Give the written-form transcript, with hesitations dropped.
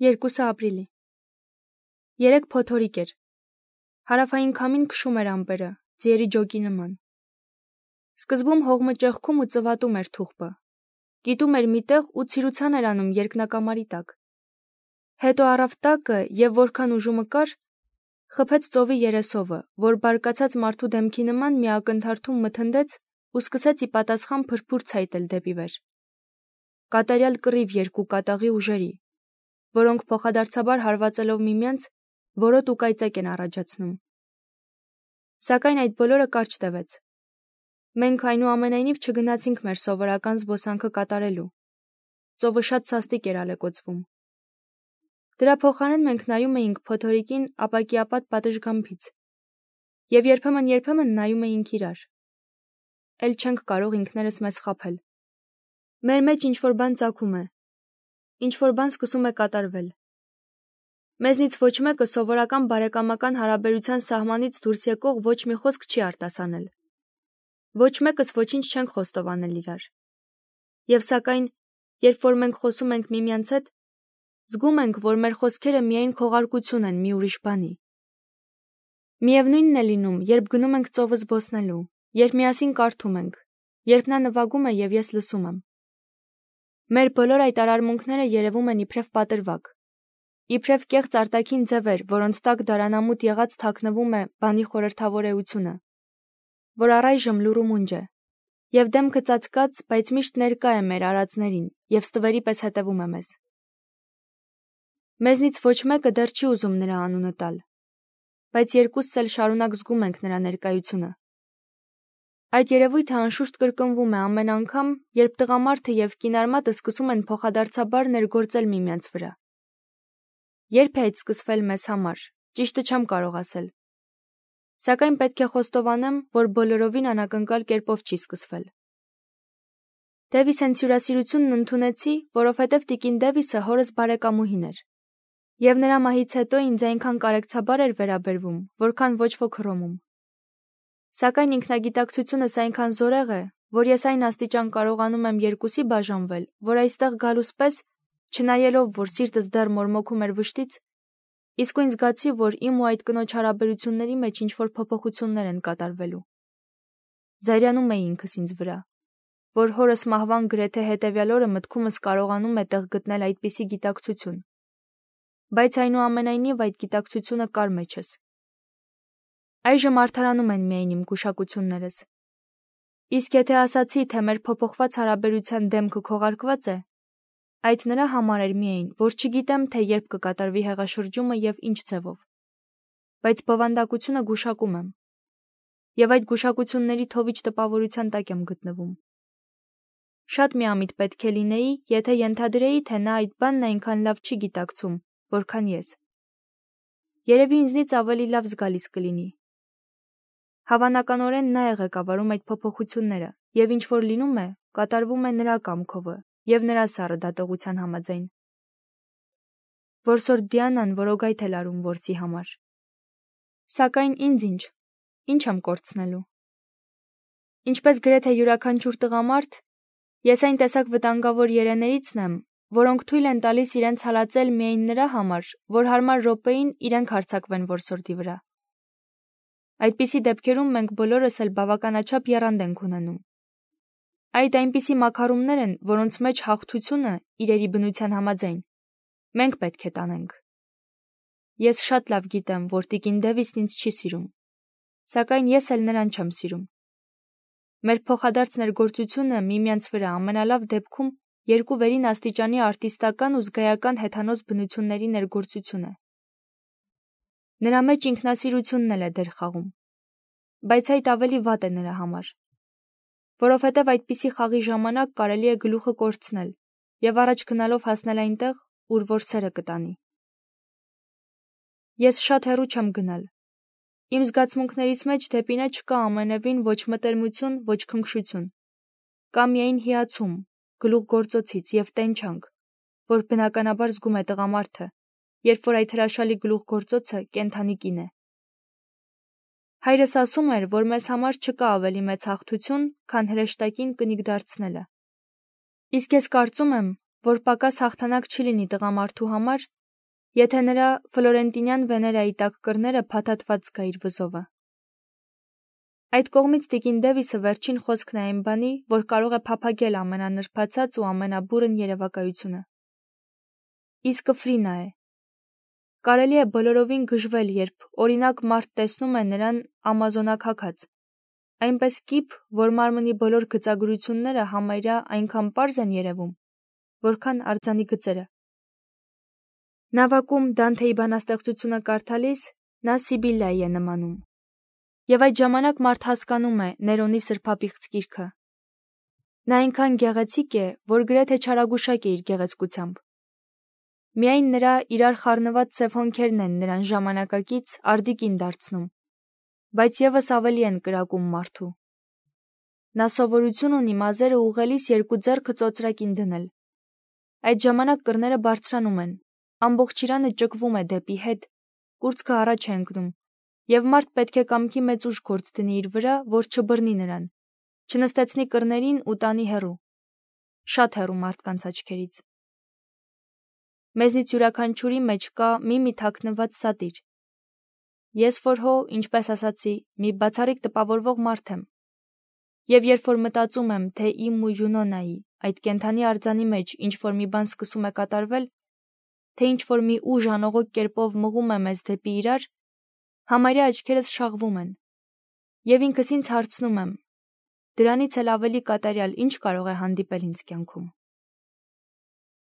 2 ապրիլի։ Երեկ փոթորիկ էր։ Հարավային քամին քշում էր ամպերը, ձիերի ջոկի նման։ Սկզբում հողմը ճեղքում ու ծվատում էր թուղբը։ Կիտում էր միտեղ ու ցիրուցան էր անում երկնակամարի տակ։ Հետո առավ տակը և որքան ուժումը կար, խփեց ծովի երեսովը, որ բարկացած մարդու դեմքի նման մի ակնթարթում մթնդեց ու սկսեց ի պատասխան փրփուր ցայտել դեպի վեր։ Կատարյալ կռիվ երկու կատաղի ուժերի, որոնք փոխադարձաբար հարվածելով միմյանց, որոտ ու կայծակ են առաջացնում։ Սակայն այդ բոլորը կարճ տևեց։ Մենք այնուամենայնիվ չգնացինք մեր սովորական զբոսանքը կատարելու։ Ծովը շատ սաստիկ էր ալեկոծվում։ Դրա փոխարեն մենք նայում էինք փոթորիկին ապակիապատ պատշգամբից և երբեմն նայում էինք իրար։ Էլ չենք կարող ինքներս մեզ խաբել։ Մեր մեջ ինչ-որ բան ծագում է, ինչ-որ բան սկսում է կատարվել։ Մեզնից ոչ մեկը սովորական բարեկամական հարաբերության սահմանից դուրս եկող ոչ մի խոսք չի արտասանել։ Ոչ մեկս ոչինչ չենք խոստովանել իրար։ Եվ սակայն, երբ որ մենք խոսում ենք միմյանց հետ, զգում ենք, որ մեր խոսքերը միայն քողարկություն են մի ուրիշ բանի։ Միևնույնն է լինում, երբ գնում ենք ծովը զբոսնելու, երբ միասին կարդում ենք, երբ նա նվագում է և ես լսում եմ։ Մեր բոլոր այդ արարմունքները երևում են իբրև պատրվակ, իբրև կեղծ արտաքին ձևեր, որոնց տակ դարանամուտ եղած թաքնվում է բանի խորհրդավոր էությունը, որ առայժմ լուռ ու մունջ է, և դեմքը ծածկած, բայց միշտ ներկա է մեր արածներին և ստվերի պես հետևում է մեզ։ Մեզնից ոչ մեկը դեռ չի ուզում նրա անունը տալ, բայց երկուսս էլ շարունակ զգում ենք նրա ներկայությունը։ Այդ երևույթը անշուշտ կրկնվում է ամեն անգամ, երբ տղամարդը և կինարմատը սկսում են փոխադարձաբար ներգործել միմյանց վրա։ Երբ է այդ սկսվել մեզ համար, ճիշտը չեմ կարող ասել։ Սակայն պետք է խոստովանեմ, որ բոլորովին անակնկալ կերպով չի սկսվել։ Դևիսենց հյուրասիրությունն ընդունեցի, որովհետև տիկին Դևիսը հորս բարեկամուհին էր։ Եվ նրա մահից հետո ինձ այնքան կարեկցաբար էր վերաբերվում, որքան ոչ ոք Հռոմում։ Սակայն ինքնագիտակցությունս այնքան զորեղ է, որ ես այն աստիճան կարողանում եմ երկուսի բաժանվել, որ այստեղ գալուս պես, չնայելով, որ սիրտս դեռ մորմոքում էր վշտից, իսկույն զգացի, որ իմ ու այդ կնոջ հարաբերությունների մեջ ինչ-որ փոփոխություններ են կատարվելու։ Զայրանում էի ինքս ինձ վրա, որ հորս մահվան գրեթե հետևյալ օրը մտքումս կարողանում է տեղ գտնել այդպիսի գիտակցություն։ Բայց այնուամենայնիվ այդ գիտակցությունը կար մեջս։ Այժմ արդարանում են միայն իմ գուշակություններս։ Իսկ եթե ասացի, թե մեր փոփոխված հարաբերության դեմքը քողարկված է, այդ նրա համար էր միայն, որ չգիտեմ, թե երբ կկատարվի հեղաշրջումը և ինչ ձևով։ Բայց բովանդակությունը գուշակում եմ։ Եվ այդ գուշակությունների թովիչ տպավորության տակ եմ գտնվում։ Շատ միամիտ պետք է լինեի, եթե ենթադրեի, թե նա այդ բանն այնքան լավ չի գիտակցում, որքան ես։ Երևի ինձնից ավելի լավ զգալիս կլինի։ Հավանականորեն նա է ղեկավարում այդ փոփոխությունները, և ինչ որ լինում է, կատարվում է նրա կամքովը և նրա սառը դատողության համաձայն։ Որսորդ Դիանան որոգայթ է լարում որսի համար։ Սակայն ինձ ինչ եմ կորցնելու։ Ինչպես գրեթե յուրաքանչյուր տղամարդ, ես այն տեսակ վտանգավոր երեներիցն եմ, որոնք թույլ են տալիս իրենց հալածել միայն նրա համար, որ հարմար րոպեին իրենք հարձակվեն որսորդի վրա։ Այդպիսի դեպքերում մենք բոլորս էլ բավականաչափ եռանդ ենք ունենում։ Այդ այնպիսի մաքարումներ են, որոնց մեջ հաղթությունը, իրերի բնության համաձայն, մենք պետք է տանենք։ Ես շատ լավ գիտեմ, որ տիկին Դևիսն ինձ չի սիրում, սակայն ես էլ նրան չեմ սիրում։ Մեր փոխադարձ ներգործությունը միմյանց վրա ամենալավ դեպքում երկու վերին աստիճանի արտիստական ու զգայական հեթանոց բնությունների ներգործություն է։ Նրա մեջ ինքնասիրությունն էլ է դեր խաղում, բայց այդ ավելի վատ է նրա համար, որովհետև այդպիսի խաղի ժամանակ կարելի է գլուխը կորցնել և առաջ գնալով հասնել այնտեղ, ուր որ սերը կտանի։ Ես շատ հեռու չեմ գնալ։ Իմ զգացմունքներից մեջ դեպի նա չկա ամենևին ոչ մտերմություն, ոչ քնքշություն։ Կա միայն հիացում, գլուխգործոցից և տենչանք, որ բնականաբար զգում է տղամարդը, երբ որ այդ հրաշալի գլուխգործոցը կենդանի կին է։ Հայրս ասում էր, որ մեզ համար չկա ավելի մեծ հաղթություն, քան հրեշտակին կնիկ դարձնելը։ Իսկ ես կարծում եմ, որ պակաս հաղթանակ չի լինի տղամարդու համար, եթե նրա ֆլորենտինյան վեներայի տակ կռները փաթաթված գա իր վզովը։ Այդ կողմից տիկին Դևիսը վերջին խոսքն է այն բանի, որ կարող է փափագել ամենանրբացած ու ամենաբուրըն երևակայությունը։ Իսկը Ֆրինա է։ Կարելի է բոլորովին գժվել, երբ օրինակ մարդ տեսնում է նրան ամազոնակաքած, այնպես կիպ, որ մարմնի բոլոր գծագրությունները համարյա այնքան պարզ են երևում, որքան արձանի գծերը։ Նավակում Դանթեի բանաստեղծությունը կարդալիս նա Սիբիլլայի է նմանում։ Եվ այդ ժամանակ մարդ հասկանում է Ներոնի սրբապիղծ գիրքը։ Նա այնքան գեղեցիկ է, որ գրեթե չարագուշակ է իր գեղեցկությամբ։ Միայն նրա իրար խառնված սև հոնքերն են նրան ժամանակակից արդիկին դարձնում, բայց եւս ավելի են կրակում մարդու։ Նա սովորություն ունի մազերը ուղղելիս երկու ձեռքը ծոծրակին դնել։ Այդ ժամանակ կռները բարձրանում են, ամբողջ իրանը ճկվում է դեպի հետ, կուրծքը առաջ է ընկնում, եւ մարդ պետք է կամքի մեծ ուժ գործ դնի իր վրա, որ չբռնի նրան, չնստեցնի կռներին ու տանի հեռու, շատ հեռու մարդկանց աչքերից։ Մեզնից յուրաքանչյուրի մեջ կա մի թաքնված սատիր։ Ես որ հո, ինչպես ասացի, մի բացառիկ տպավորվող մարդ եմ։ Եվ երբ որ մտածում եմ, թե իմ ու Յունոնայի, այդ կենդանի արձանի մեջ ինչ-որ մի բան սկսում է կատարվել, թե ինչ-որ մի ուժ անողոք կերպով մղում է մեզ դեպի իրար, համարյա աչքերս շաղվում են։ Եվ ինքս ինձ հարցնում եմ. դրանից էլ ավելի կատարյալ ինչ կարող է հանդիպել ինձ կյանքում։